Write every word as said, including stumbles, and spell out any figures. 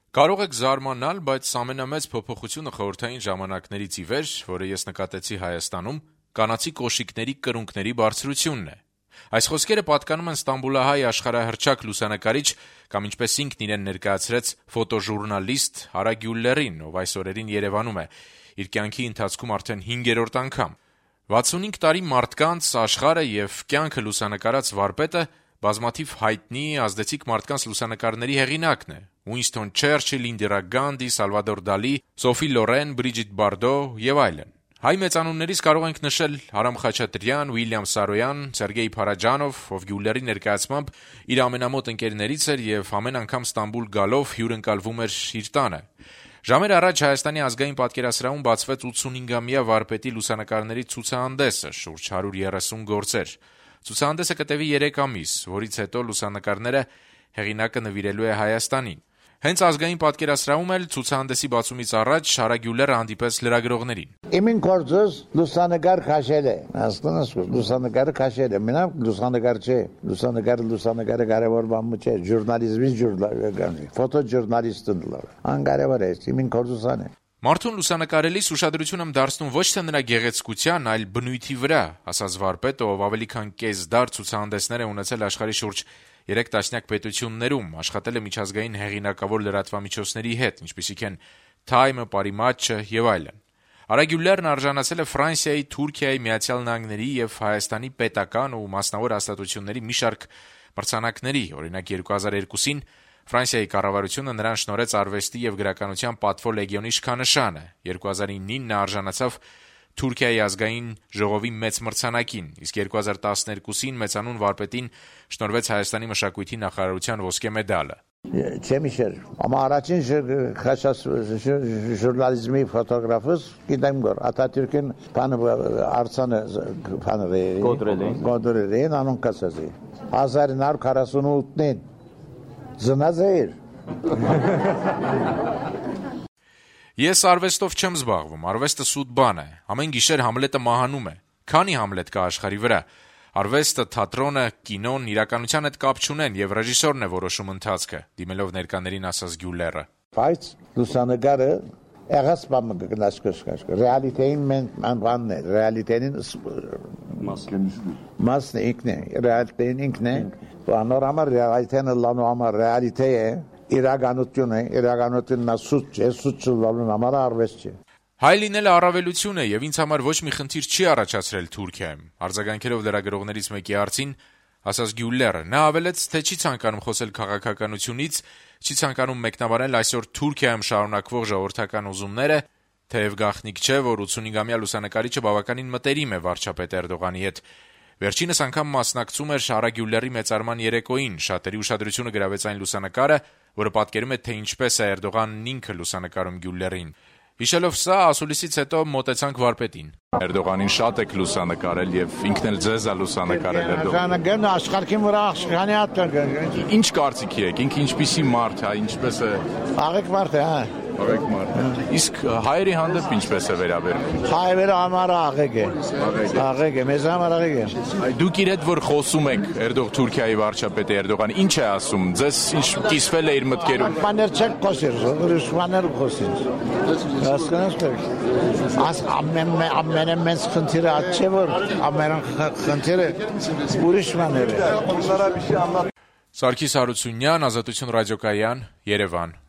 Կարող եք զարմանալ, բայց ամենամեծ փոփոխությունը խորհրդային ժամանակներից ի վեր, որը ես նկատեցի Հայաստանում, կանացի կոշիկների կրունկների բարձրությունն է։ Այս խոսքերը պատկանում են ստամբուլահայ աշխարհահռչակ լուսանկարիչ կամ ինչպես ինքն իրեն ներկայացրեց ֆոտոժուրնալիստ Արա Գյուլլերին, ով այս օրերին Երևանում է, իր կյանքի ընթացքում արդեն հինգերորդ անգամ։ վաթսունհինգ տարի մարդկանց, աշխարհը եւ կյանքը լուսանկարած վարպետը բազմաթիվ հայտնի ազդեցիկ մարդկանց լուսանկարների հեղինակն է։ Ուինստոն Չերչիլ, Ինդիրա Գանդի, Սալվադոր Դալի, Սոֆի Լորեն, Բրիջիտ Բարդո եւ այլն։ Հայ մեծանուններից կարող ենք նշել Արամ Խաչատրյան, Ուիլյամ Սարոյան, Սերգեյ Փարաջանով, ով Գյուլլերի ներկայացմամբ իր ամենամոտ ընկերներից էր եւ ամեն անգամ Ստամբուլ գալով հյուրընկալվում էր իր տանը։ Ժամեր առաջ Հայաստանի ազգային պատկերասրահում բացվեց ութսունհինգամյա վարպետի լուսանկարների ցուցահանդեսը, շուրջ հարյուր երեսուն գործեր։ Ցուցահանդեսը կտևի երեք ամիս, որից հետո լուսանկարները հեղինակը նվիրելու է Հայաստանին։ Հենց ազգային պատկերասրահում էլ ցուցահանդեսի բացումից առաջ Արա Գյուլլերը հանդիպեց լրագրողներին։ Իմին գործս լուսանկար քաշել է, հասկանաս, լուսանկարը քաշել է, մենակ լուսանկար չէ, լուսանկարը լուսանկարը կարևոր բան չէ, ժուրնալիզմի ժուրնալիստը, ֆոտոժուրնալիստն լավ, անկարևոր է, իմին գործուսան է։ Մարդուն լուսանկարելիս ուշադրություն եմ դարձնում ոչ թե նրա գեղեցկության, այլ բնույթի վրա, ասաց վարպետը, ով ավելի քան կես դար ցուցահանդեսներ է ունեցել աշխարհի շուրջ երեք տասնյակ պետություններում, աշխատել է միջազգային հեղինակավոր լրատվամիջոցների հետ, ինչպիսիք են Time-ը, Parimatch-ը եւ այլն։ Արա Գյուլլերն արժանացել է Ֆրանսիայի, Թուրքիայի, Միացյալ Նահանգների եւ Հայաստանի պետական ու մասնավոր հաստատությունների մի շարք մրցանակների, օրինակ երկու հազար երկուսին Ֆրանսիայի կառավարությունը նրան շնորհեց արվեստի եւ գրականության պատվո լեգիոնի շքանշանը, երկու հազար իննին նա արժանացավ Թուրքիայի ազգային ժողովի մեծ մրցանակին, իսկ երկու հազար տասներկուսին մեծանուն վարպետին շնորհվեց Հայաստանի մշակույթի նախարարության ոսկե մեդալը։ Չեմիշեր, amma առաջին խաշած ժուրնալիզմի ֆոտոգրաֆս գիտեմ գոր Աթաթյուրքին բանը արցանը բանը գոդրելին անոն կասազի հազար նար քառասունութին զնաց էր։ Ես արվեստով չեմ զբաղվում, արվեստը սուտ բան է, ամեն գիշեր Համլետը մահանում է, քանի Համլետ կա աշխարհի վրա, արվեստը, թատրոնը, կինոն իրականության հետ կապ չունեն եւ ռեժիսորն է որոշում ընթացքը, դիմելով ներկաներին ասաց Գյուլլերը։ Բայց լուսանկարը եղած բանը գնացքաշ, ռեալիտեին մեն բանն է, ռեալիտեին մասն ինքն է, ռեալիտեին ինքն է, նորմալ ռեալիտեն լանու համար ռեալիտե է, իրականություն է, իրականությունն սուտ չէ, սուտ չլալուն համար արվեստ չէ։ Հայ լինելը առավելություն է եւ ինձ համար ոչ մի խնդիր չի առաջացրել Թուրքիայում։ Արձագանքելով լրագրողներից մեկի հարցին, ասաց Գյուլլերը, նա ավելեց, թե չի ցանկանում խոսել քաղաքականությունից, չի ցանկանում մեկնաբանել այսօր Թուրքիայում շարունակվող ժողովրդական ուզումները, թեև գաղտնիք չէ, որ ութսունհինգամյա լուսանկարիչը բավականին մտերիմ է վարչապետ Էրդողանի հետ։ Վերջինս անգամ մասնակցում էր Արա Գյուլլերի մեծարման երեկոյին, շատերի ուշադրությունը գրավեց այն լուսանկարը, որը պատկերում է, թե ինչպես է Էրդողանն ինքը լուսանկարում Գյուլլերին։ Հիշելով սա, ասուլիսից հետո մոտեցանք վարպետին։ Էրդողանին շատ եք լուսանկարել եւ ինքն էլ ձեզ է լուսանկարել Էրդողանը։ Գան աշխարհին վրա աշխարհանի հատ։ Ինչ կարծիքի եք, ինքը ինչպիսի մարդ է, ինչպես է։ Աղեկ մարդ է, հա։ Աղեկ մարդ է։ Իսկ հայերի հանդեպ ինչպես է վերաբերվում։ Հայերը համար աղեկ է։ Աղեկ է, մեզ համար աղեկ է։ Դուք իր հետ որ խոսում եք Էրդող Թուրքիայի վարչապետ Էրդողան, ինչ է ասում։ Ձեզ ինչ կիսվել է իր մտքերում։ Բաներ չեք խոսել, ուրիշ բաներ խոսին։ Հասկանաս՞ք։ Աս ամեն ամենը մեծ խնդիրը այդ չէ որ ամեն խնդիրը ուրիշ բաներ է։ Սարգիս Հարությունյան, Ազատություն ռադիոկայան, Երևան։